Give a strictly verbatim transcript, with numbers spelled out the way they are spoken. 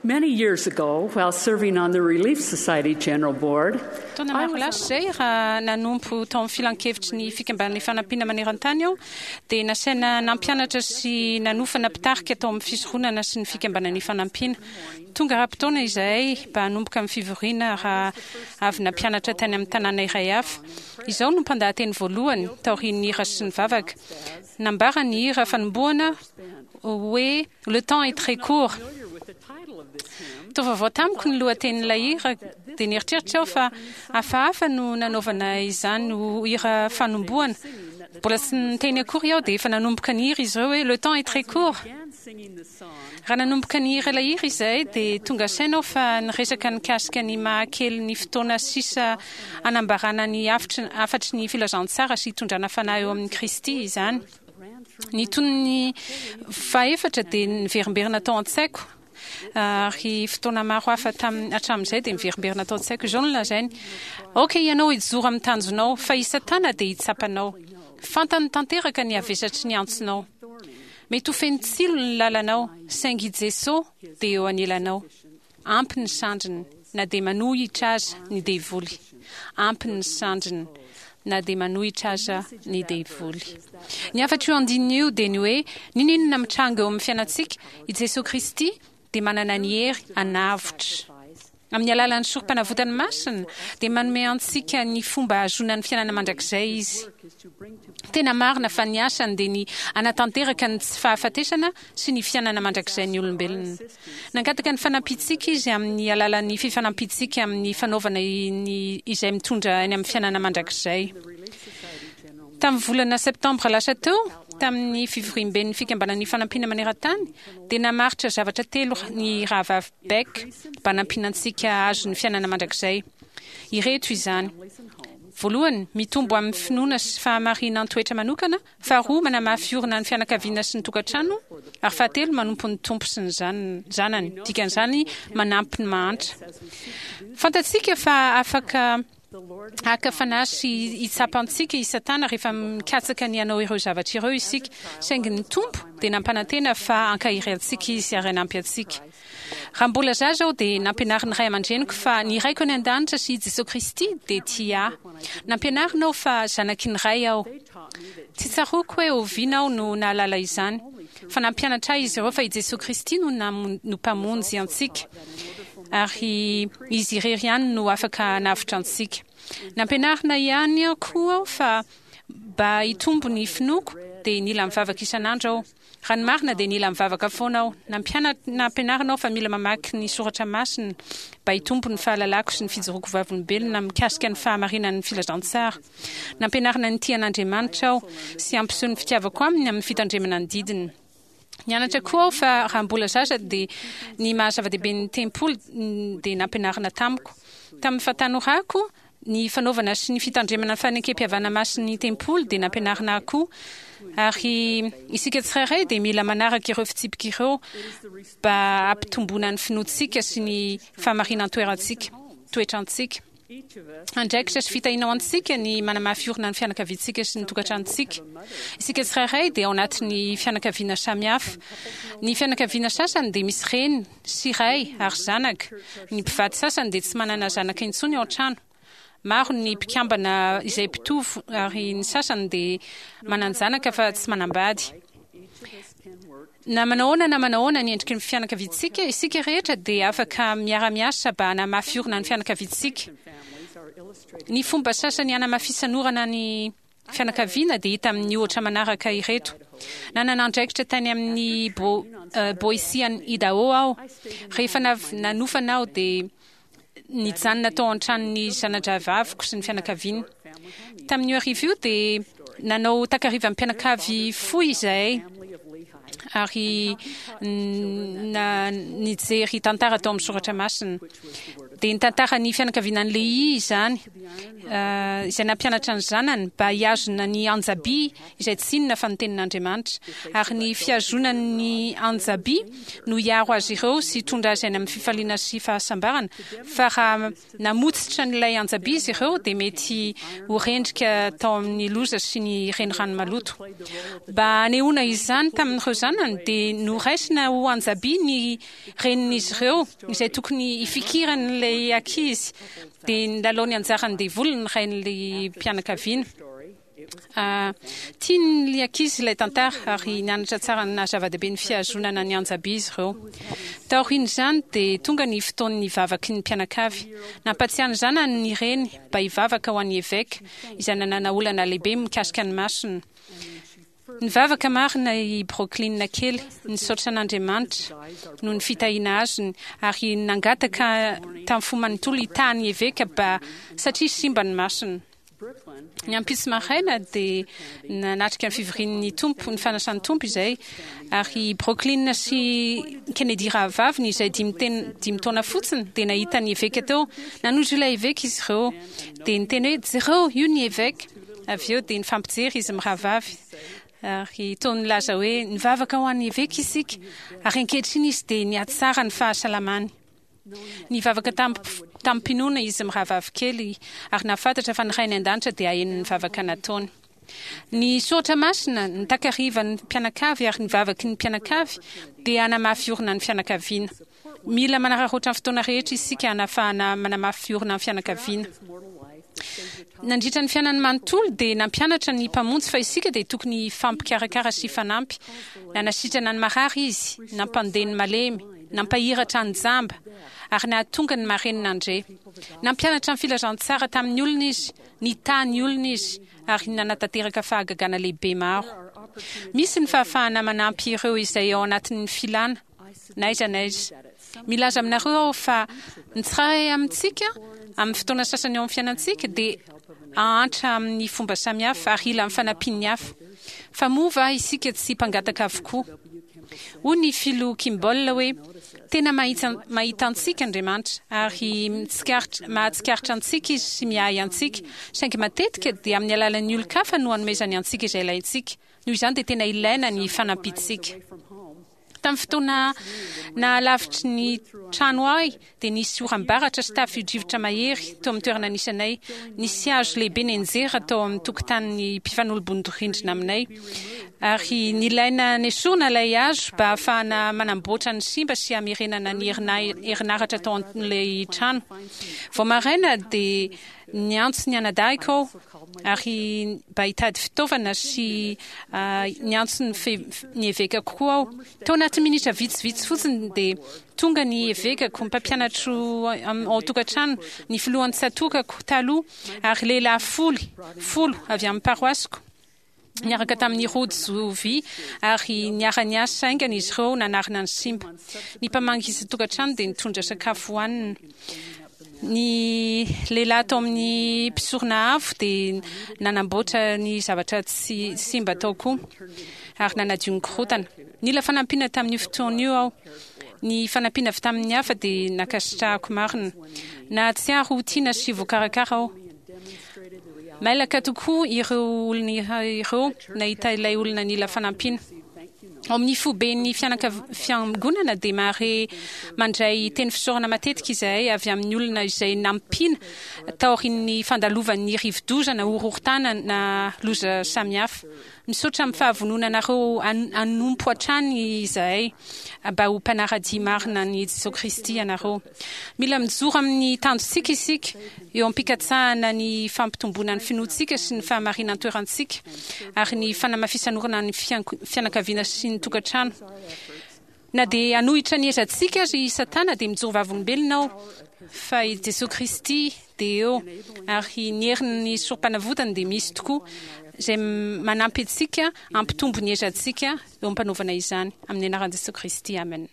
Many years ago, while serving on the Relief Society General Board, Taona maro lasa izay, raha nanompo tao amin'ny filankevitry ny Fikambanana Ifanampiana maneran-tany aho, dia nasaina nampianatra sy nanofana mpitarika tao amin'ny fisoronana sy ny Fikambanana Ifanampiana. Tonga ara-potoana izahay mba hanomboka ny fivoriana raha avy nampianatra tany amin'ny tanàna iray hafa. Izaho no mpandahateny voalohany taorian'ny hira sy ny vavaka. Nambara ny hira fanombohana hoe "Le temps est très court". Toa vaovao tamiko ny lohatenin'ilay hira, dia nieritreritra aho fa hafahafa no nanaovana izany ho hira fanombohana. Mbola tsy niteny akory aho dia efa nanomboka nihira izy ireo hoe "Le temps est très court". Raha nanomboka nihira ilay hira izahay dia tonga saina aho fa niresaka nikasika ny mahakely ny fotoana sisa hanambarana ny hafatry ny filazantsara sy hitondrana fanahy eo amin'i Kristy izany. Ny tonony fahefatra dia niverimberina tao an-tsaiko, ary fotoana maro hafa tamin'ny hatramin'izay dia miverimberina tao an-tsaiko. Izao no lazainy: "Aoka ianao hijoro amin'ny tanjonao, fa i Satana dia hitsapa anao. Fantany tanteraka ny havesatry ny antsonao. Mety ho feno tsilo ny lalanao, saingy i Jesoa dia eo anilanao. Ampy ny sandriny na dia manohitra aza ny devoly. Ampy ny sandriny na dia manohitra aza ny devoly." Ny hafatr'io andininy io dia ny hoe n'inon'inona mitranga eo amin'ny fiainantsika, i Jesoa Kristy dia manana ny hery hanavotra. Amin'ny alalan'ny sorom-panavotany masina dia manome antsika ny fomba hahazoana ny fiainana mandrakizay izy. Tena marina fa ny asany dia ny hanatanteraka ny tsy fahafatesana sy ny fiainana mandrakizay ny olombelona. Nangataka ny fanampiantsika izy amin'ny alalan'ny fifanampiantsika amin'ny fanaovana ny izay mitondra any amin'ny fiainana mandrakizay. Tamin'ny volana septambra lasa teo, tamin'ny fivoriamben'ny Fikambanan'ny Fanampiana maneran-tany, dia namaritra zavatra telo ny rahavavy Beck mba hanampiana antsika hahazo ny fiainana mandrakizay. Ireto izany: voalohany, mitombo amin'ny finoana sy fahamarinan-toetra manokana; faharoa, manamafy orina ny fianakaviana sy ny tokantrano; ary fahatelo, manompo ny Tompo sy ny zanany, dikan'izany manampy ny mahantra. Fantatsika fa afaka haka fanahy sy hitsapa antsika i Satana rehefa mikatsaka ny hanao ireo zavatra ireo isika, saingy ny Tompo dia nampanantena fa hankahery antsika izy ary hanampy antsika. Raha mbola zaza aho dia nampianarin'ny ray aman-dreniko fa ny Raiko any an-danitra sy i Jesoa Kristy dia tia ahy. Nampianarina aho fa zanaky ny Ray aho. Tsy tsaroako hoe oviana aho no nahalala izany, fa nampianatra ahy izy ireo fa i Jesoa Kristy no no Mpamonjy antsika, ary izy irery ihany no afaka hanavotra antsika. Nampianarina ihany koa aho fa mba hitombo ny finoako dia nila mivavaka isan'andro aho. Raha ny marina dia nila mivavaka foana aho. Nampianarina aho fa mila mamaky ny soratra masina mba hitombo ny fahalalako sy ny fijoroako vavolombelona mikasika ny fahamarinan'ny filazantsara. Nampianarina nitia an'Andriamanitra aho sy hampiseho ny fitiavako aminy amin'ny fitandremana ny didiny. Nianatra koa aho fa raha mbola zaza dia ny maha zava-dehibe ny tempoly dia nampianarina tamiko. Tamin'ny fahatanorako, ny fanaovana sy ny fitandremana ny fanekem-pihavanana masin'ny tempoly dia nampianarina ahy koa. Ary isika tsirairay dia mila manaraka ireo fitsipika ireo mba hampitomboana ny finoantsika sy ny fahamarinan-toerantsika, toetrantsika. Andraikitra sy fitahiana ho antsika ny manamafy orina ny fianakaviantsika sy ny tokantranontsika. Isika tsirairay dia ao anatin'ny fianakaviana samihafa. Ny fianakaviana sasany dia misy reny sy ray ary zanaka. Ny mpivady sasany dia tsy manana zanaka intsony ao an-trano. Maro ny mpikambana izay mpitovo ary ny sasany dia manan-janaka fa tsy manambady. Na manao ahoana na manao ahoana ny endriky ny fianakaviantsika, isika rehetra dia afaka miara-miasa mba hanamafy orina ny fianakaviantsika. Ny fomba sasany hanamafisan'orana ny fianakaviana dia hita amin'ny ohatra manaraka ireto. Nanana andraikitra tany amin'ny Boise any Idaho aho. Rehefa nanofana aho dia nijanona tao an-tranon'ny zana-drahavaviko sy ny fianakaviany. Tamin'io hariva io dia nanao takarivan'ny mpianakavy fohy izahay ary nijery tantara tao amin'ny soratra masina. Dia nitantara ny fianakaviana ny Lehi izany, izay nampianatra ny zanany mba hihazona ny anjabi izay tsy inona fa ny tenin'Andriamanitra, ary ny fihazonany ny anjabi no hiaro azy ireo sy hitondra azy any amin'ny fifaliana sy fahasambarana, fa raha namotsitra an'ilay anjabi izy ireo dia mety ho rendrika tao amin'ny loza sy ny renirano maloto. Mba hanehoana izany tamin'ireo zanany dia noraisina ho anjabi ny renin'izy ireo izay tokony hifikiran'ilay ankizy, dia nilalao ny anjaran'ny devoly ny rain'ilay mpianakaviana. Tian'ilay ankizy ilay tantara ary nianatra tsara ny naha zava-dehibe ny fihazonana ny anjabi izy ireo. Taorian'izany dia tonga ny fotoan'ny vavaky ny mpianakavy. Nampatsiahy ny zanany ny reny mba hivavaka ho an'ny eveka izay nanana olana lehibe mikasika ny masony. Nivavaka marina i Brooklyn kely, nisaotra an'Andriamanitra noho ny fitahiana azony ary nangataka tamin'ny fo manontolo hitaha ny eveka mba satria simba ny masony. Ny ampitso maraina dia nanatrika ny fivorian'ny Tompo, ny fanasan'ny Tompo izay, ary i Brooklyn sy Kennedy rahavaviny izay dimy ten- dimy taona fotsiny dia nahita ny eveka teo. Nanojo ilay eveka izy ireo dia niteny hoe, jereo, io ny eveka. Avy eo dia nifampijery izy mirahavavy ary toa nilaza hoe, nivavaka ho an'ny eveka isika, ary ankehitriny izy dia nihatsara ny fahasalamany. Nivavaka tamim-pinoana izy mirahavavy kely ary nahafantatra fa ny Rainy an-danitra dia haheno ny vavaka nataony. Ny soratra masina, ny takarivan'ny mpianakavy ary ny vavaky ny mpianakavy dia hanamafy orina ny fianakaviana. Mila manararaotra ny fotoana rehetra isika hanafahana manamafy orina ny fianakaviana. Nandritra ny fiainany manontolo dia nampianatra ny Mpamonjy fa isika dia tokony hifampikarakara sy hifanampy. Nanasitrana ny marary Izy, nampandeha ny malemy, nampahiratra ny jamba, ary nahatonga ny marenina handre. Nampianatra ny filazantsara tamin'ny olona Izy, nitaha ny olona Izy, ary nanatanteraka fahagagana lehibe maro. Misy ny fahafahana manampy ireo izay ao anatin'ny filana, na aiza na aiza. Milaza aminareo aho fa ny tsirairay amintsika, amin'ny fotoana sasany eo amin'ny fiainantsika, dia hahantra amin'ny fomba samihafa ary hila ny fanampian'ny hafa. Fa moa va isika tsy mpangataka avokoa? Hoy ny Filoha Kimball hoe, Tena mahita antsika Andriamanitra, ary mahatsikaritra antsika Izy sy miahy antsika, saingy matetika dia amin'ny alalan'ny olon-kafa no anomezany antsika izay ilaintsika. Noho izany dia tena ilaina ny fanampiantsika. Tamin'ny fotoana nahalavitry ny trano ahy dia nisy oram-baratra sy tafio-drivotra mahery teo amin'ny toerana nisy anay. Nisy hazo lehibe nianjera tao amin'ny tokotanin'ny mpifanolo-bodirindrina aminay, ary nilaina nesorina ilay hazo mba hahafahana manamboatra ny simba sy hamerenana ny herinaratra tao amin'ilay trano. Vao maraina dia niantso ny anadahiko aho ary mba hitady fitaovana sy niantso ny ny evekako koa aho. Tao anatin'ny minitra vitsivitsy fotsiny dia tonga ny evekako, ny mpampianatro ao an-tokantrano, ny filohan'ny tsatokako taloha ary lehilahy folo, folo avy amin'ny paroasiko niaraka tamin'ny rojo vy ary niara-niasa haingana izy ireo nanarina ny simba. Ny mpamangy isan-tokantrano dia nitondra sakafo hohanina. Ny lehilahy tao amin'ny mpisorona avo dia nanamboatra ny zavatra tsy simba tao koa ary nanadio ny korontana. Nila fanampiana tamin'io fotoana io aho. Ny fanampiana avy tamin'ny hafa dia nankasitrahako marina. Nahatsiaro ho tiana sy voakarakara aho. Mailaka tokoa ireo olona ireo nahita ilay olona nila fanampiana. Ao amin'ny foiben'ny fiangonana dia mahare mandray teny fisaorana matetika izahay avy amin'ny olona izay nampiana taorian'ny fandalovan'ny rivodoza na horohorontany na loza samihafa. Misaotra amin'ny fahavononanareo hanompo hatrany izahay mba ho mpanara-dia marina an'i Jesoa Kristy ianareo. Mila mijoro amin'ny tanjontsika isika eo am-pikatsahana ny fampitomboana ny finoantsika sy ny fahamarinan-toerantsika ary ny fanamafisan'orina ny fianakaviana sy ny tokantrano. Na dia hanohitra ny ezantsika aza i Satana dia mijoro vavolombelona aho fa i Jesoa Kristy dia eo ary ny herin'ny Sorompanavotany dia misy tokoa izay manampy antsika hampitombo ny ezantsika eo am-panaovana izany. Amin'ny anaran'i Jesoa Kristy, amena.